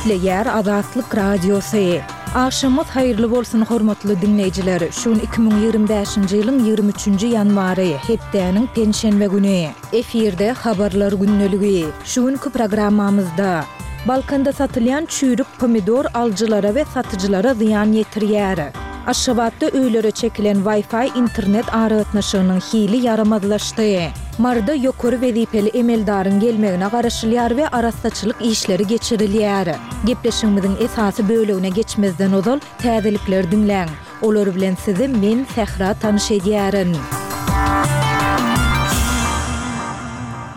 Gepleýär Azatlyk Radiosy. Agşamyňyz haýyrly bolsun hormatly diňleýjiler! Şu gün 2025-nji ýylyň 23-nji ýanwary, hepdäniň penşenbe güni. Efirde Habarlar gündeligi. Şu günki programmamyzda. Balkanda satylýan çüýrük pomidor alyjylara we satyjylara zyýan ýetirýär. Aşgabatda öýlere çekilen Wi-Fi internet aragatnaşygynyň hili ýaramazlaşdy. Maryda ýokary wezipeli emeldaryň gelmegine garaşylýar we arassaçylyk işleri geçirilýär. Gepleşigimiziň esasy bölegine geçmezden ozal, täzelikleri diňläň. Olar bilen sizi men, Sähra tanyş edýärin.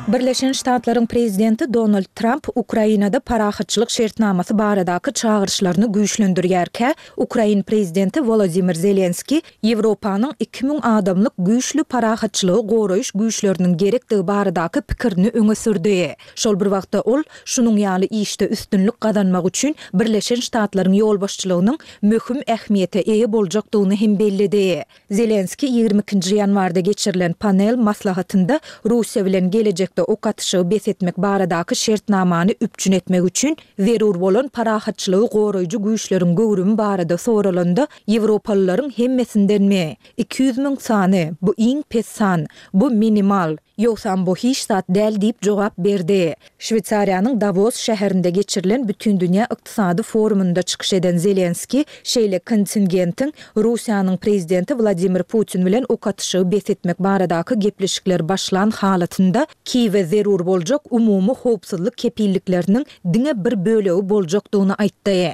Birleşen Ştatlaryň prezidenti Donald Tramp Ukrainada parahatçylyk şertnamasy baradaky çagyryşlaryny güýçlendirýärkä, ukrain prezidenti Wolodymyr Zelenskiý Ýewropanyň 2000 adamlyk güýçli parahatçylygy goraýyş güýçleriniň gerekdigi baradaky pikirini öňe sürdi. Şol bir wagtda ol, şunuň ýaly işde üstünlik gazanmak üçin Birleşen Ştatlaryň ýolbaşçylygynyň möhüm ähmiýete eýe boljakdygyny hem belledi. Zelenskiý 22-nji ýanwarda geçirilen panel maslahatynda Russiýa bilen gelejekde ok atyşygy bes etmek baradaky şertnamany üpjün etmek üçin zerur bolan parahatçylygy goraýjy güýçleriň göwrümi barada soralanda, Ýewropalylaryň hemmesindenmi? 200 müň sany, bu iň pes san. Bu minimal. Ýogsam bu hiç zat däl diýip jogap berdi. Şweýsariýanyň Dawos şäherinde geçirilen Bütindünýä ykdysady forumynda çykyş eden Zelenskiý şeýle kontingentiň Russiýanyň prezidenti Wladimir Putin bilen ok atyşygy bes etmek baradaky gepleşikler başlan halatynda Kiýewe zerur boljak umumy howpsuzlyk kepillikleriniň diňe bir bölegi boljakdygyny aýtdy.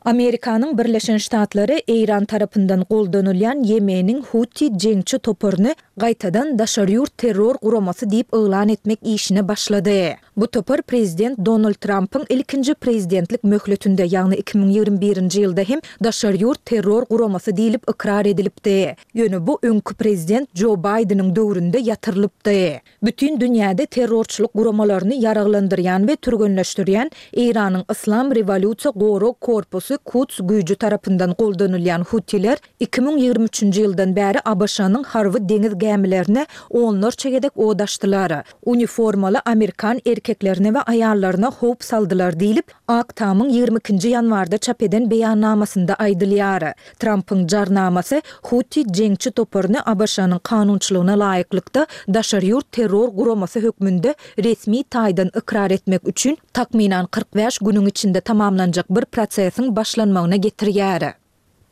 Amerikanyň Birleşen Ştatlary Eýran tarapyndan goldanylýan Ýemeniň Huti jeňçi toparyny gaýtadan daşary ýurt terror guramasy diýip yglan etmek işine başlady. Bu topar prezident Donald Trampyň ilkinji prezidentlik möhletinde, ýagny 2021-nji ýylda hem daşary ýurt terror guramasy diýlip ykrar edilipdi. Ýöne bu öňki prezident Jo Baýdeniň döwründe ýatyrylypdy. Bütin dünýäde terrorçylyk guramalaryny ýaraglandyrýan we türgenleşdirýän Eýranyň Yslam rewolýusiýa gorag korpusy Kuds güýji tarapyndan goldanylýan Hutiler 2023-nji ýyldan bäri ABŞ-nyň harby deňiz gämilerine onlarça gezek od açdylar, uniformaly amerikan erkeklerine we aýallaryna howp saldylar diýlip, Ak Tamyň 22-nji ýanwarda çap eden beýannamasynda aýdylýar. Trampyň jarnamasy Huti jeňçi toparyny ABŞ-nyň kanunçylygyna laýyklykda daşary ýurt terror guramasy hökmünde resmi taýdan ykrar etmek üçin takmynan 45 günüň içinde tamamlanjak bir prosesiň başlanmagyna getirýär.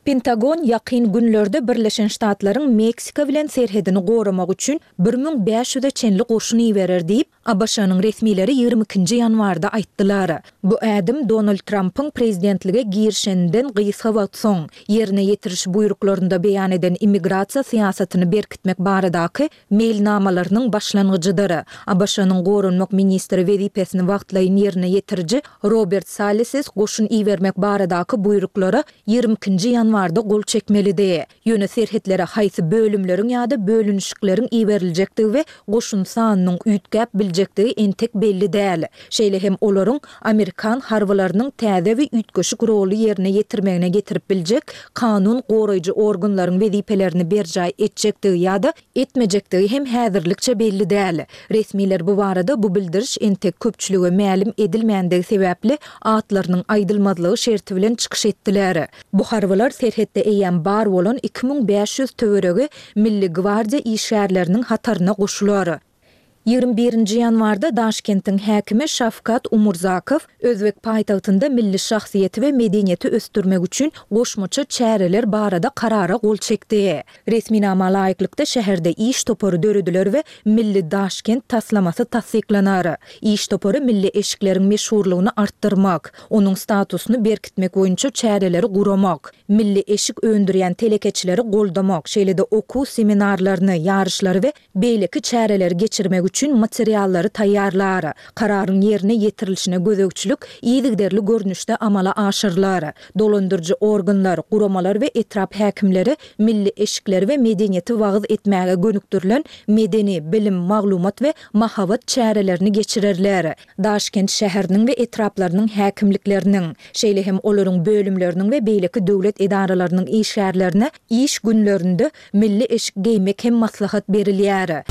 Pentagon ýakyn günlerde Birleşen Ştatlaryň Meksika bilen serhedini goramak üçin 1500-e çenli goşun iberer diýip, ABŞ-nyň resmileri 22-nji ýanwarda aýtdylar. Bu ädim Donald Trampyň prezidentlige girişeninden gysga wagt soň, ýerine ýetiriş buýruklarynda beýan eden immigrasiýa syýasatyny berkitmek baradaky meýilnamalarynyň başlangyjydyr. ABŞ-nyň goranmak ministri wezipesini wagtlaýyn ýerine ýetiriji Robert Saleses goşun ibermek baradaky buýruklara 22-nji ýanwarda gol çekmelidi. Ýöne serhetlere haýsy bölümleriň ýa-da bölünişikleriň iberiljekdigi we goşun sanynyň üýtgäp biljekdigi entek belli däl. Şeýle hem olaryň amerikan harbylarynyň täze we üýtgeşik roly ýerine ýetirmegine getirip biljek kanun goraýjy organlaryň wezipelerini berjaý etjekdigi ýa-da etmejekdigi hem häzirlikçe belli däl. Resmiler bu barada bu bildiriş entek köpçülige mälim edilmändigi sebäpli atlarynyň aýdylmazlygy şerti bilen çykyş etdiler. Bu harbylar serhetde eýýäm bar bolan 2500 töweregi Milli gwardiýa işgärleriniň hataryna goşular. 21-nji ýanwarda Daşkentiň häkimi Şawkat Umurzakow özbek paýtagtynda milli şahsyýeti we medeniýeti ösdürmek üçin goşmaça çäreler barada karara gol çekdi. Resminama laýyklykda şäherde iş topary dörediler we Milli Daşkent taslamasy tassyklanar. Iş topary milli eşikleriň meşhurlygyny artdyrmak, onuň statusyny berkitmek boýunça çäreleri guramak, milli eşik öndürýän telekeçileri goldamak, şeýle-de okuw seminarlaryny, ýaryşlary we beýleki çäreleri geçirmek üçin materiallary taýýarlar. Kararyň ýerine ýetirilişine gözegçilik yzygiderli görnüşde amala aşyrylar. Dolandyryjy organlar, guramalar we etrap häkimleri milli eşikleri we medeniýeti wagyz etmäge gönükdirilen medeni, bilim, maglumat we mahabat çärelerini geçirerler. Daşkent şäheriniň we etraplarynyň häkimlikleriniň, şeýle hem olaryň bölümleriniň we beýleki döwlet edaralarynyň işgärlerine iş günlerinde milli eşik geýmek hem maslahat berilýär.